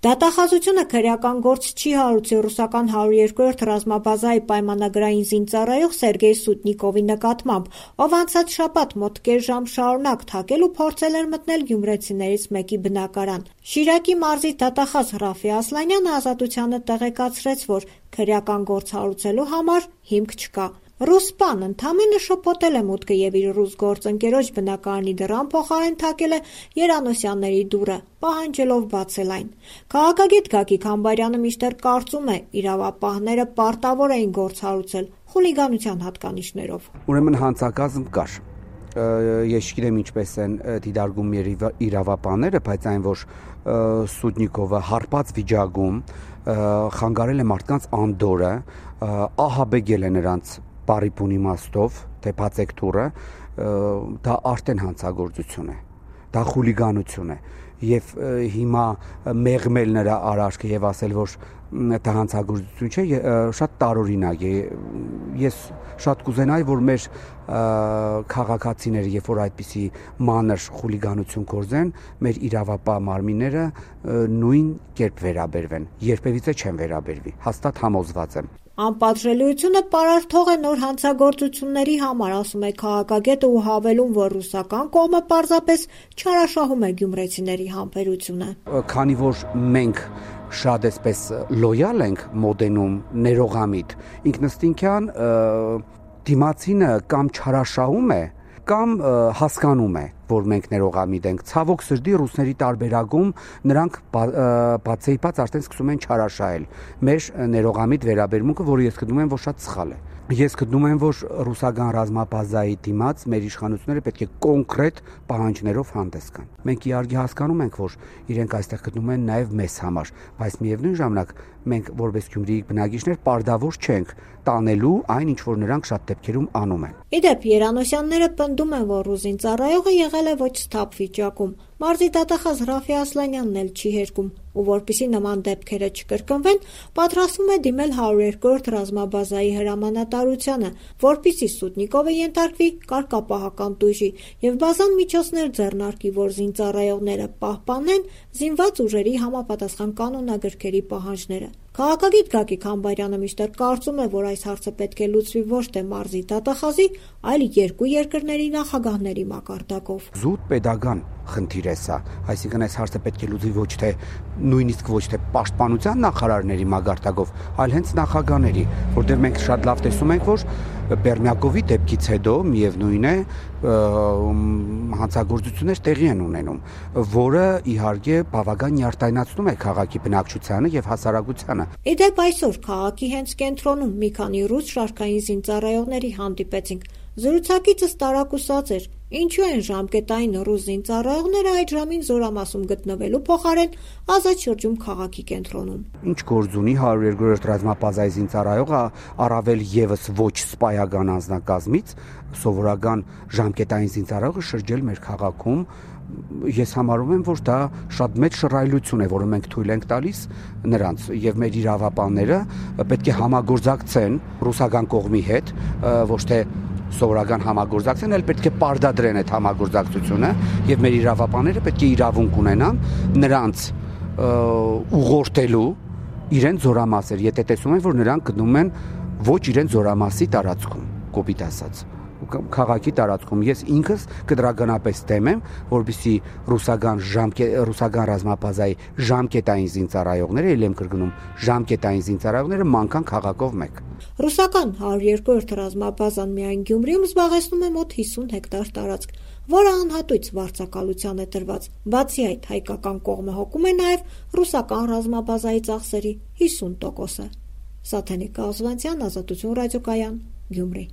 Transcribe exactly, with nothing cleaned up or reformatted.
Դատախազությունը քրեական գործ չի հարուցի ռուսական հարյուր երկրորդ ռազմաբազայի պայմանագրային զինծառայող Սերգեյ Սուտնիկովի նկատմամբ, ով անցած շաբաթ մոտ կես ժամ շարունակ թակել ու փորձել էր մտնել գյումրեցիներից մեկի բնակարան։ Շիրակի մարզի դատախազ Ռաֆի Ասլանյանը Ազատությանը տեղեկացրեց, որ քրեական գործ հարուցելու համար հիմք չկա։ Ռուս սպան ընդամենը շփոթել է մուտքը եւ իր ռուս գործընկերոջ բնակարանի դռան փոխարեն թակել է Երանոսյանների դուռը, պահանջելով բացել այն։ Քաղաքագետ Գագիկ Համբարյանը մինչդեռ կարծում է, իրավապահները պարտավոր էին գործ հարուցել խուլիգանության հատկանիշներով։ Ուրեմն հանցակազմ կար։ Ես չգիտեմ ինչպես են դիտարկում իրավապահները, բայց այն որ Սուտնիկովը հարբած վիճակում խանգարել է մարդկանց անդորը, ահաբեկել է նրանց բարիպուն իմաստով, թե բացեք դուռը, դա արդեն հանցագործություն է, դա խուլիգանություն է եւ հիմա մեղմել նրա արարքը եւ ասել, որ դա հանցագործություն չէ, շատ տարօրինակ է։ Ես շատ կուզենայի, որ մեր քաղաքացիները, երբ որ այդպիսի մանր խուլիգանություն գործեն, մեր իրավապահ մարմինները նույն կերպ վերաբերվեն, երբևիցե չեն վերաբերվի, հաստատ համոզված եմ։ Անպատժելիությունը պարարթող է նոր հանցագործությունների համար, ասում է քաղաքագետը ու հավելում, որ ռուսական կողմը պարզապես չարաշահում է գյումրեցիների համբերությունը։ Քանի որ մենք շատ էսպես լոյալ ենք մոդենում ներողամիտ, ինքնըստինքյան դիմացինը կամ չարաշահում է, կամ հասկանում է, որ մենք ներողամիտ ենք։ Ցավոք սրտի ռուսների տարբերակում նրանք բացեիպած արդեն սկսում են չարաշահել մեր ներողամիտ վերաբերմունքը, որը ես գտնում եմ, որ շատ սխալ է։ Ես գտնում եմ, որ ռուսական ռազմաբազայի դիմաց մեր իշխանությունները պետք է կոնկրետ պահանջներով հանդես գան։ Մենք իհարկե հասկանում ենք, որ իրենք այստեղ գտնում են նաև մեզ համար, բայց միևնույն ժամանակ մենք որպես Գյումրիի բնակիչներ պարտավոր չենք տանելու այն, ինչ որ նրանք շատ դեպքերում անում են։ Իդեպ Երանոսյանները պնդում են, որ ռուս զինծառայողը եղել է ոչ սթափ վիճակում։ Մարզի դատախազ Ռաֆի Ասլանյանն էլ չի հերքում, ու որպեսզի նման դեպքերը չկրկնվեն, պատրաստվում է դիմել հարյուր երկրորդ ռազմաբազայի հրամանատարությանը, որպեսզի Սուտնիկովը ենթարկվի կարգապահական տույժի եւ բազան միջոցներ ձեռնարկի, որ զինծառայողները պահպանեն զինված ուժերի համապատասխան կանոնագրքերի պահանջները։ Քաղաքագետ Գագիկ Համբարյանը մինչդեռ կարծում է, որ այս հարցը պետք է լուծվի ոչ թե մարզի դատախազի, այլ երկու երկրների նախագահների մակարդակով։ Զուտ պետական խնդիր է սա, այսինքն այս հարցը պետք է լուծվի ոչ թե նույնիսկ ոչ թե պաշտպանության նախարարների մակարդակով, այլ հենց նախագահների, որտեղ մենք շատ լավ տեսում ենք, որ Բերմյակովի դեպքից հետո միևնույն է հանցագործություններ տեղի են ունենում, որը իհարկե բավական նյարդայնացնում է քաղաքի բնակչությանը եւ հասարակությանը։ Իդեպ այսօր քաղաքի հենց կենտրոնում մի քանի ռուս շարքային զինծառայողների հանդիպեցինք։ Զրուցակիցս տարակուսած էր, ինչու են ժամկետային ռուս զինծառայողները այդ ժամին զորամասում գտնվելու փոխարեն ազատ շրջում քաղաքի կենտրոնում։ Ինչ գործ ունի հարյուր երկրորդ ռազմաբազայի զինծառայողը, առավել եւս ոչ սպայական անձնակազմից, սովորական ժամկետային զինծառայողը շրջել մեր քաղաքում։ Ես համարում եմ, որ դա շատ մեծ շռայլություն է, որը մենք թույլ ենք տալիս նրանց, եւ մեր իրավապահները պետք է համագործակցեն ռուսական կողմի հետ, ոչ թե սովորական համագործակցեն, այլ պետք է պարտադրեն այդ համագործակցությունը եւ մեր իրավապահները պետք է իրավունք ունենան նրանց ուղղորդելու իրենց զորամասեր, եթե տեսում են, որ նրանք գտնում են ոչ իրենց զորամասի տարածքում, կոպիտ ասած, քաղաքի տարածքում։ Ես ինքս կտրականապես դեմ եմ, որպեսզի ռուսական ռուսական ռազմաբազայի ժամկետային զինծառայողները, ել եմ կրկնում, ժամկետային զինծառայողները մանկան քաղաքով մեկ։ Ռուսական հարյուր երկրորդ ռազմաբազան միայն Գյումրիում զբաղեցնում է մոտ հիսուն հեկտար տարածք, որը անհատույց վարձակալության է տրված։ Բացի այդ, հայկական կողմը հոգում է նաև ռուսական ռազմաբազայի ծախսերի հիսուն տոկոսը։ Սաթենիկ Կազվանցյան, Ազատություն ռադիոկայան, Գյումրի։